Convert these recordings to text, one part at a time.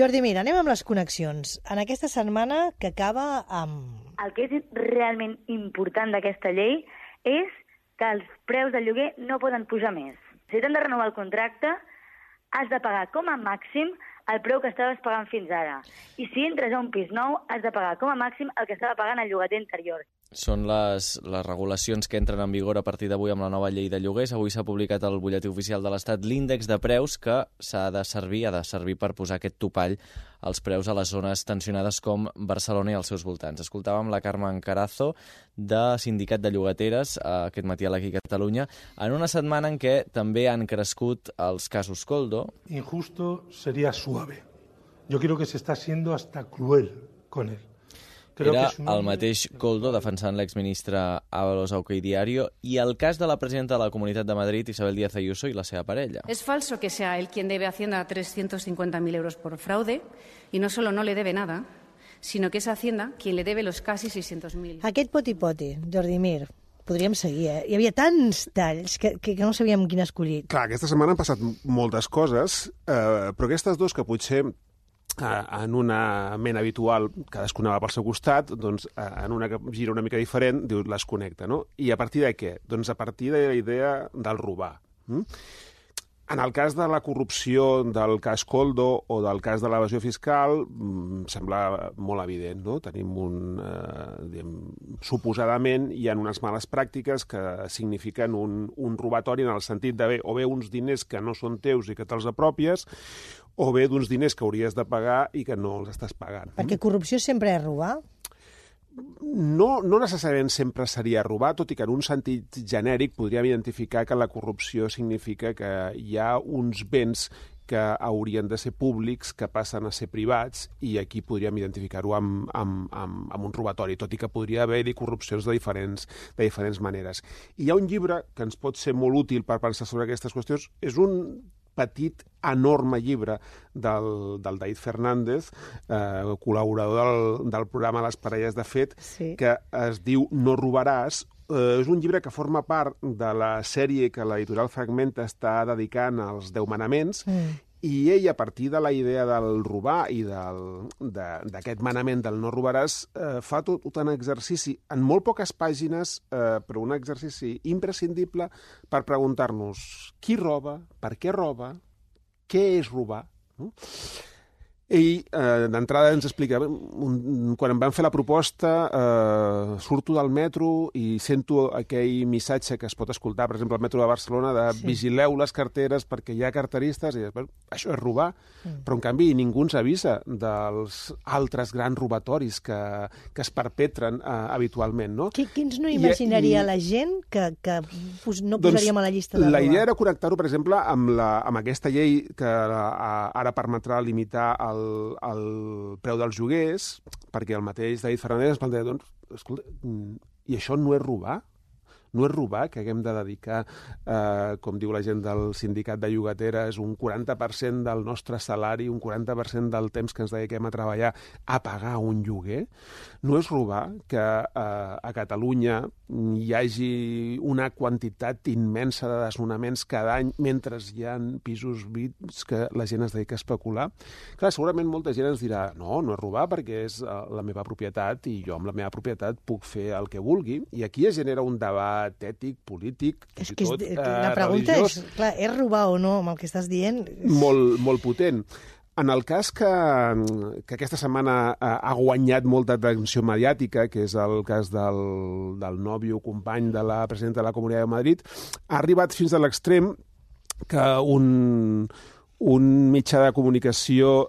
Jordi, mira, anem amb les connexions. En aquesta setmana que acaba amb... El que és realment important d'aquesta llei és que els preus del lloguer no poden pujar més. Si t'han de renovar el contracte, has de pagar com a màxim el preu que estaves pagant fins ara. I si entres a un pis nou, has de pagar com a màxim el que estava pagant el llogater anterior. Són les regulacions que entren en vigor a partir d'avui amb la nova llei de lloguers. Avui s'ha publicat al butlletí oficial de l'Estat l'índex de preus que ha de servir per posar aquest topall als preus a les zones tensionades com Barcelona i els seus voltants. Escoltàvem la Carmen Carazo, de Sindicat de Llogateres, aquest matí a l'Aquí Catalunya, en una setmana en què també han crescut els casos Koldo. Injusto sería suave. Yo creo que se está siendo hasta cruel con él. Era el mateix Koldo defensant l'exministre Ábalos a OK Diario i el cas de la presidenta de la Comunitat de Madrid, Isabel Díaz Ayuso, i la seva parella. Es falso que sea él quien debe a Hacienda 350.000 euros por fraude y no solo no le debe nada, sino que es Hacienda quien le debe los casi 600.000. Aquest poti-poti, Jordi Mir, podríem seguir, Hi havia tants talls que no sabíem quin escollir. Clar, aquesta setmana han passat moltes coses, però aquestes dos que potser en una ment habitual, cadascuna va pel seu costat, doncs en una que gira una mica diferent, dius, les connecta, no? I a partir de què? Doncs a partir de la idea del robar. En el cas de la corrupció del cas Koldo o del cas de l'evasió fiscal, sembla molt evident, no? Tenim suposadament hi ha unes males pràctiques que signifiquen un robatori en el sentit d'haver o bé uns diners que no són teus i que te'ls apropies, o bé d'uns diners que hauries de pagar i que no els estàs pagant. Perquè corrupció sempre és robar? No necessàriament sempre seria robar, tot i que en un sentit genèric podríem identificar que la corrupció significa que hi ha uns béns que haurien de ser públics, que passen a ser privats, i aquí podríem identificar-ho amb un robatori, tot i que podria haver-hi corrupcions de diferents maneres. I hi ha un llibre que ens pot ser molt útil per pensar sobre aquestes qüestions, és un petit, enorme llibre del David Fernández, col·laborador del programa Les parelles de fet, sí, que es diu No robaràs. És un llibre que forma part de la sèrie que l'editorial Fragmenta està dedicant als 10 manaments, i ell, a partir de la idea del robar i d'aquest manament del no robaràs, fa tot un exercici en molt poques pàgines, però un exercici imprescindible per preguntar-nos qui roba, per què roba, què és robar. Ell, d'entrada, ens explica, quan em van fer la proposta, surto del metro i sento aquell missatge que es pot escoltar, per exemple, al metro de Barcelona, de vigileu les carteres perquè hi ha carteristes, i després, això és robar, però en canvi ningú ens avisa dels altres grans robatoris que es perpetren habitualment, no? Quins no imaginaria la gent que no posaríem a la llista de robar? La idea era connectar-ho, per exemple, amb aquesta llei que ara permetrà limitar el preu dels lloguers, perquè el mateix David Fernández ens planteja, doncs, escolta, i això no és robar? No és robar que haguem de dedicar, com diu la gent del sindicat de llogateres, un 40% del nostre salari, un 40% del temps que ens dediquem a treballar a pagar un lloguer? No és robar que a Catalunya hi hagi una quantitat immensa de desnonaments cada any mentre hi ha pisos buits que la gent es dedica a especular? Clar, segurament molta gent ens dirà no és robar perquè és la meva propietat i jo amb la meva propietat puc fer el que vulgui, i aquí es genera un debat ètic, polític, és que la pregunta religiós. És, clar, és robar o no amb el que estàs dient? Molt potent. En el cas que aquesta setmana ha guanyat molta atenció mediàtica, que és el cas del nòvio company de la presidenta de la Comunitat de Madrid, ha arribat fins a l'extrem que un mitjà de comunicació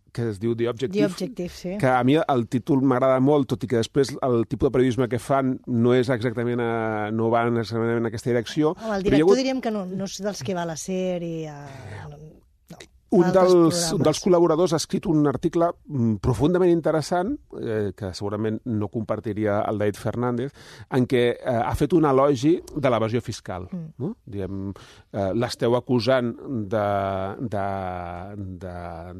que es diu The Objective, sí, que a mi el títol m'agrada molt, tot i que després el tipus de periodisme que fan no és exactament no va exactament en aquesta direcció. El director diríem que no és dels que va a la sèrie... Un dels col·laboradors ha escrit un article profundament interessant, que segurament no compartiria el David Fernández, en què ha fet un elogi de l'evasió fiscal. No? L'esteu acusant de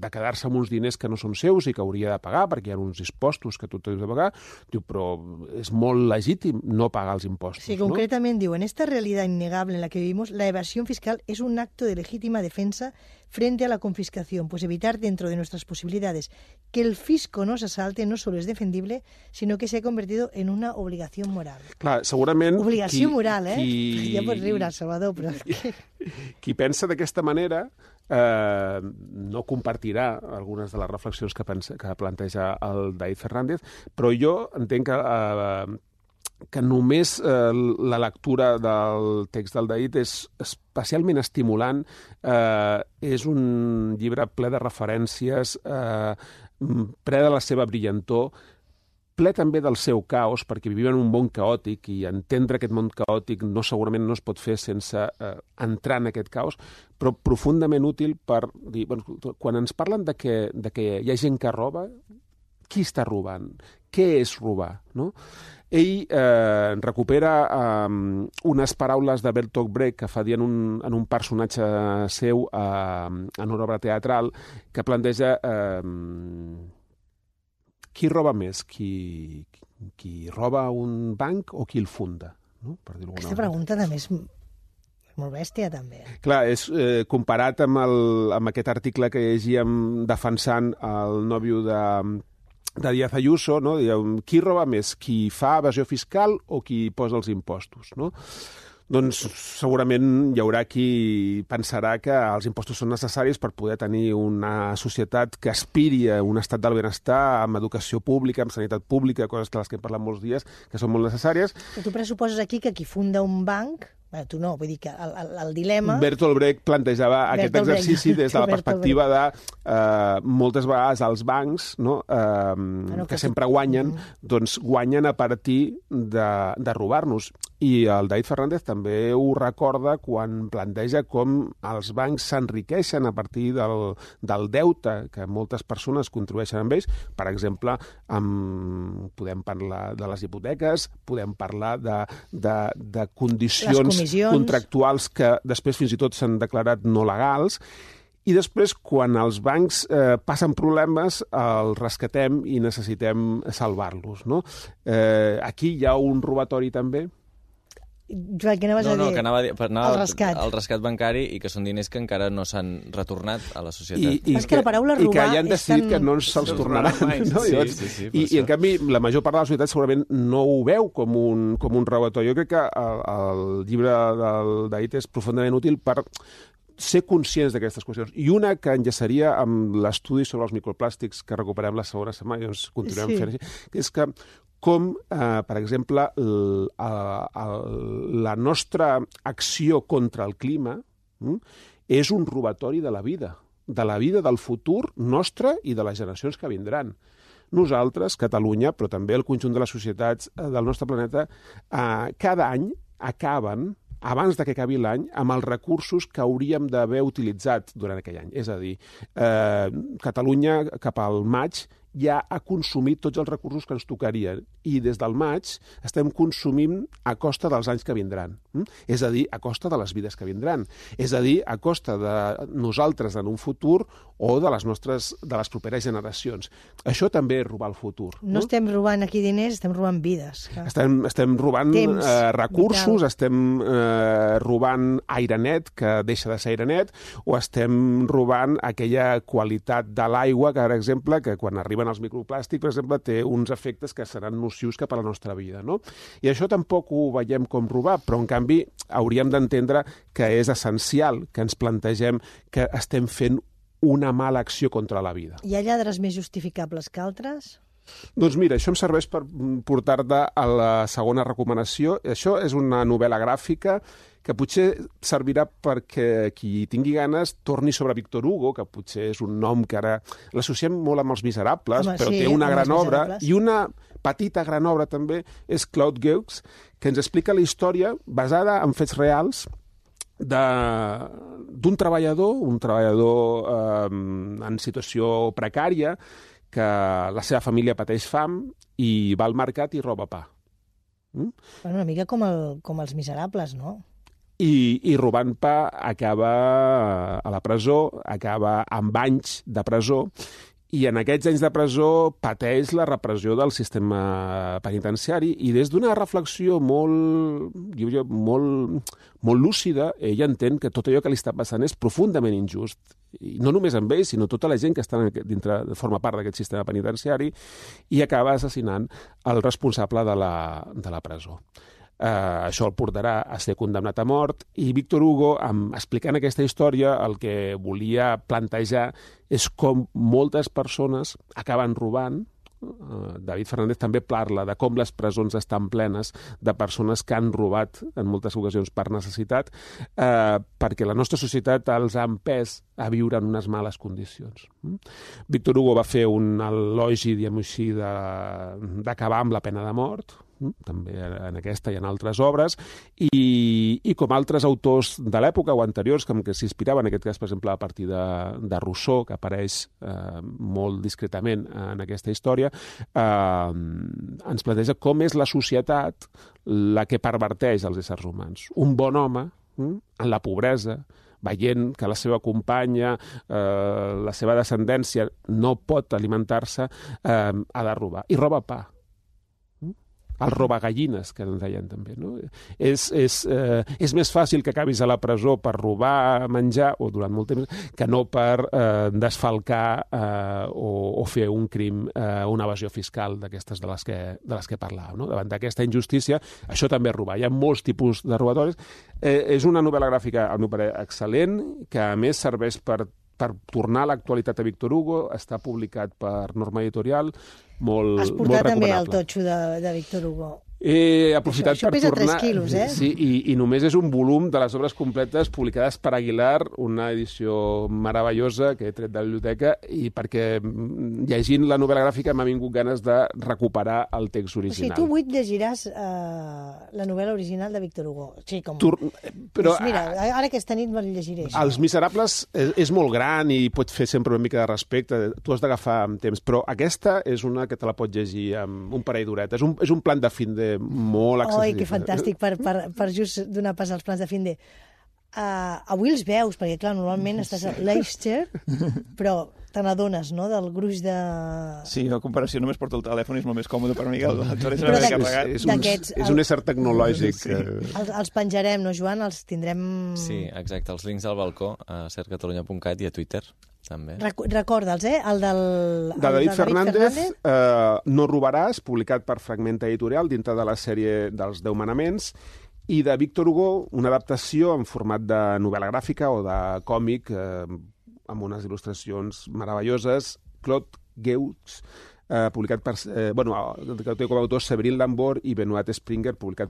quedar-se amb uns diners que no són seus i que hauria de pagar, perquè hi ha uns impostos que tu has de pagar. Diu, però és molt legítim no pagar els impostos. Sí, concretament diu, en esta realidad innegable en la que vivimos, la evasión fiscal es un acto de legítima defensa frente a la confiscación, pues evitar dentro de nuestras posibilidades que el fisco nos asalte no solo es defendible, sino que se ha convertido en una obligación moral. Clar, segurament... Obligació moral, eh? Ja pots riure, Salvador, però... Qui pensa d'aquesta manera no compartirà algunes de les reflexions que planteja el David Fernández, però jo entenc que només la lectura del text del David és especialment estimulant. És un llibre ple de referències, ple de la seva brillantor, ple també del seu caos, perquè vivim en un món caòtic i entendre aquest món caòtic segurament no es pot fer sense entrar en aquest caos, però profundament útil per dir, quan ens parlen de que hi ha gent que roba, qui està robant? Què és robar? No? Ell recupera unes paraules de Bertolt Brecht que fa dir en un personatge seu en una obra teatral que planteja qui roba més, qui roba un banc o qui el funda? No? Per dir-ho Aquesta pregunta també és molt bèstia, també. Clar, és comparat amb aquest article que llegíem defensant el nòvio de Díaz Ayuso, no? Qui roba més, qui fa evasió fiscal o qui posa els impostos, no? Doncs segurament hi haurà qui pensarà que els impostos són necessaris per poder tenir una societat que aspiri a un estat del benestar, amb educació pública, amb sanitat pública, coses de les que hem parlat molts dies, que són molt necessàries. Però tu pressuposes aquí que qui funda un banc... Bé, tu no, vull dir que el dilema... Bertolt Brecht plantejava aquest exercici des de la perspectiva de moltes vegades els bancs, no, que sempre guanyen, doncs guanyen a partir de robar-nos. I el David Fernández també ho recorda quan planteja com els bancs s'enriqueixen a partir del deute que moltes persones contribueixen amb ells. Per exemple, podem parlar de les hipoteques, podem parlar de condicions contractuals que després fins i tot s'han declarat no legals. I després, quan els bancs passen problemes, els rescatem i necessitem salvar-los, no? Aquí hi ha un robatori també. Joan, què anaves a dir? Que anava el rescat. El rescat bancari i que són diners que encara no s'han retornat a la societat. I que la paraula robar i que ja han decidit que no se'ls tornaran. No? Sí, I en canvi, la major part de la societat segurament no ho veu com un robatori. Jo crec que el llibre del David és profundament útil per ser conscients d'aquestes qüestions. I una que enllaçaria amb l'estudi sobre els microplàstics que recuperem la segona setmana, i doncs continuem fent així, és que com, per exemple, la nostra acció contra el clima és un robatori de la vida del futur nostre i de les generacions que vindran. Nosaltres, Catalunya, però també el conjunt de les societats del nostre planeta, cada any acaben, abans que acabi l'any, amb els recursos que hauríem d'haver utilitzat durant aquell any. És a dir, Catalunya, cap al maig, ja ha consumit tots els recursos que ens tocarien i des del maig estem consumint a costa dels anys que vindran. És a dir, a costa de les vides que vindran. És a dir, a costa de nosaltres en un futur o de les properes generacions. Això també és robar el futur. No estem robant aquí diners, estem robant vides. Estem robant recursos, estem robant aire net, que deixa de ser aire net, o estem robant aquella qualitat de l'aigua, que, per exemple, que quan arriben els microplàstics, per exemple, té uns efectes que seran nocius cap a la nostra vida, no? I això tampoc ho veiem com robar, però en canvi hauríem d'entendre que és essencial que ens plantegem que estem fent una mala acció contra la vida. Hi ha lladres més justificables que altres? Doncs mira, això em serveix per portar-te a la segona recomanació. Això és una novel·la gràfica que potser servirà perquè qui tingui ganes torni sobre Victor Hugo, que potser és un nom que ara l'associem molt amb Els Miserables, però té una gran obra, i una petita gran obra també és Claude Gueux, que ens explica la història basada en fets reals d'un treballador en situació precària, que la seva família pateix fam i va al mercat i roba pa. Una mica com Els Miserables, no? I robant pa acaba a la presó, acaba amb anys de presó, i en aquests anys de presó pateix la repressió del sistema penitenciari i des d'una reflexió molt lúcida, ell entén que tot allò que li està passant és profundament injust. I no només amb ell, sinó tota la gent que està dintre, forma part d'aquest sistema penitenciari, i acaba assassinant el responsable de la presó. Això el portarà a ser condemnat a mort, i Víctor Hugo, explicant aquesta història, el que volia plantejar és com moltes persones acaben robant. David Fernández també parla de com les presons estan plenes de persones que han robat en moltes ocasions per necessitat, perquè la nostra societat els ha empès a viure en unes males condicions. Víctor Hugo va fer un elogi, diguem-ho així, d'acabar amb la pena de mort, també en aquesta i en altres obres, i com altres autors de l'època o anteriors que s'inspiraven, en aquest cas, per exemple, a partir de Rousseau, que apareix molt discretament en aquesta història, ens planteja com és la societat la que perverteix els éssers humans. Un bon home, en la pobresa, veient que la seva companya, la seva descendència no pot alimentar-se, ha de robar. I roba pa. El robagallines, que en deien també. No? És més fàcil que acabis a la presó per robar menjar, o durant molt temps, que no per desfalcar o fer un crim, una evasió fiscal d'aquestes de les que parlàvem. No? Davant d'aquesta injustícia, això també és robar. Hi ha molts tipus de robatoris. És una novel·la gràfica, al meu parer, excel·lent, que a més serveix per tornar a l'actualitat a Víctor Hugo. Està publicat per Norma Editorial, molt recomanable. Has portat també el totxo de Víctor Hugo. He aprofitat això per pesa tornar... 3 quilos, eh? Sí, i només és un volum de les obres completes publicades per Aguilar, una edició meravellosa que he tret de la biblioteca, i perquè llegint la novel·la gràfica m'ha vingut ganes de recuperar el text original. O sigui, tu avui llegiràs la novel·la original de Víctor Hugo. Sí, com... Però, doncs mira, ara aquesta nit me'l llegiré. Els Miserables és molt gran i pot fer sempre una mica de respecte. Tu has d'agafar amb temps, però aquesta és una que te la pots llegir amb un parell d'horetes. És un plan de fin de molt accessible. Oi, que fantàstic, per just donar pas als plans de fin de... Avui els veus, perquè clar, normalment estàs a Leicester, però te n'adones, no?, del gruix de... Sí, a comparació només porto el telèfon i és molt més còmode per mi que és un ésser tecnològic. Sí. Els penjarem, no, Joan? Els tindrem... Sí, exacte, els links al balcó a cercatalunya.cat i a Twitter, també. Recorda'ls, el del... De David Fernández, No robaràs, publicat per Fragment Editorial, dintre de la sèrie dels 10 manaments, i de Víctor Hugo, una adaptació en format de novel·la gràfica o de còmic, amb unes il·lustracions meravelloses, Claude Geux, publicat per... que té com a autors Séverine Lambert i Benoît Springer, publicat